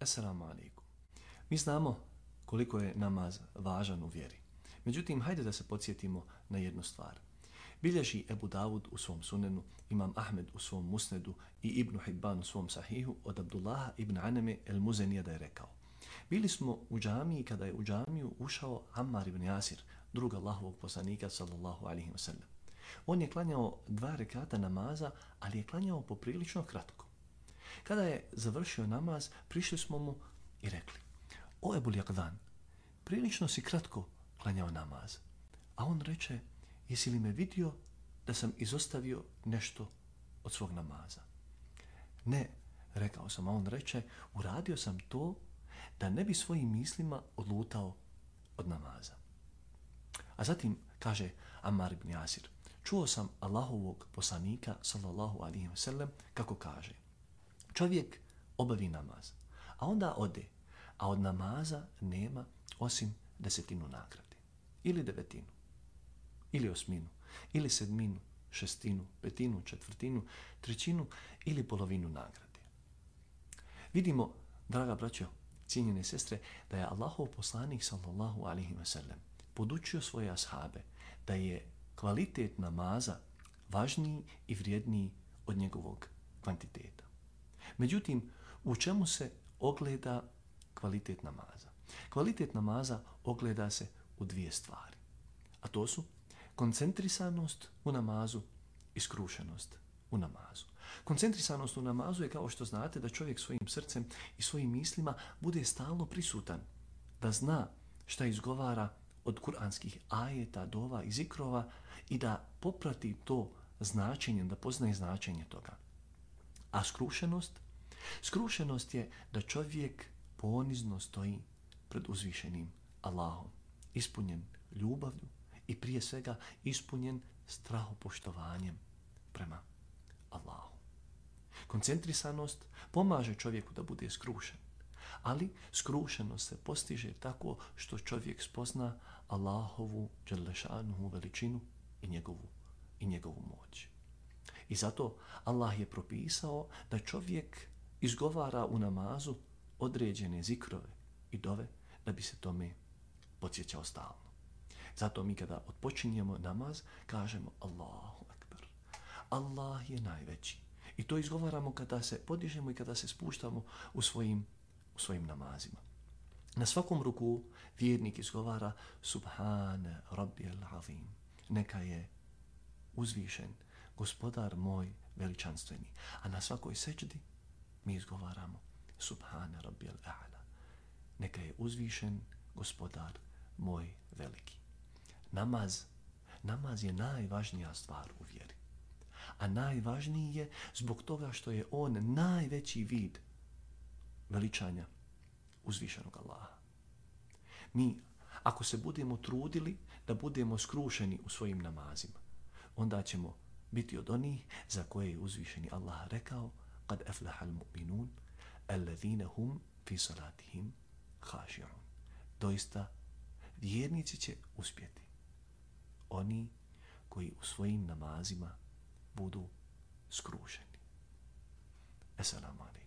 Assalamu alaikum. Mi znamo koliko je namaz važan u vjeri. Međutim, hajde da se podsjetimo na jednu stvar. Bilježi Ebu Davud u svom sunenu, Imam Ahmed u svom musnedu i Ibn Hibban u svom sahihu od Abdullaha ibn Aneme el-Muzenija da je rekao: bili smo u džamiji kada je u džamiju ušao Ammar ibn Jasir, drug Allahovog poslanika sallallahu alaihi wa sallam. On je klanjao 2 rekata namaza, ali je klanjao poprilično kratko. Kada je završio namaz, prišli smo mu i rekli: o Ebul Yaqdan, prilično si kratko klanjao namaz. A on reče: jesi li me vidio da sam izostavio nešto od svog namaza? Ne, rekao sam, a on reče: uradio sam to da ne bi svojim mislima odlutao od namaza. A zatim kaže Ammar ibn Jasir: čuo sam Allahovog poslanika sallallahu alaihi wa sallam kako kaže: čovjek obavi namaz, a onda ode, a od namaza nema osim 10 nagrade, ili 9, ili 8, ili 7, 6, 5, 1/4, 1/3 ili polovinu nagrade. Vidimo, draga braćo, cijenjene sestre, da je Allahov poslanik sallallahu alaihi wa sallam podučio svoje ashabe da je kvalitet namaza važniji i vrijedniji od njegovog kvantiteta. Međutim, u čemu se ogleda kvalitet namaza? Kvalitet namaza ogleda se u 2 stvari, a to su koncentrisanost u namazu i skrušenost u namazu. Koncentrisanost u namazu je, kao što znate, da čovjek svojim srcem i svojim mislima bude stalno prisutan, da zna šta izgovara od kuranskih ajeta, dova i zikrova i da poprati to značenjem, da poznaje značenje toga. A skrušenost? Skrušenost je da čovjek ponizno stoji pred uzvišenim Allahom, ispunjen ljubavlju i prije svega ispunjen strahopoštovanjem prema Allahu. Koncentrisanost pomaže čovjeku da bude skrušen, ali skrušenost se postiže tako što čovjek spozna Allahovu dželešanuhu veličinu i njegovu moć. I zato Allah je propisao da čovjek izgovara u namazu određene zikrove i dove da bi se tome podsjećao stalno. Zato mi kada odpočinjemo namaz kažemo Allahu Akbar. Allah je najveći. I to izgovaramo kada se podižemo i kada se spuštamo u svojim namazima. Na svakom ruku vjernik izgovara Subhane Rabbijal Azim. Neka je uzvišen Gospodar moj veličanstveni. A na svakoj sećdi mi izgovaramo Subhane Rabbijal A'la. Neka je uzvišen Gospodar moj veliki. Namaz je najvažnija stvar u vjeri. A najvažniji je zbog toga što je on najveći vid veličanja uzvišenog Allaha. Mi, ako se budemo trudili da budemo skrušeni u svojim namazima, onda ćemo biti od onih za koje je uzvišeni Allah rekao: kad aflahal mu'minun alladhina hum fi salatihim khashi'un. Doista vjernici će uspjeti, oni koji u svojim namazima budu skrušeni. Assalamu alaikum.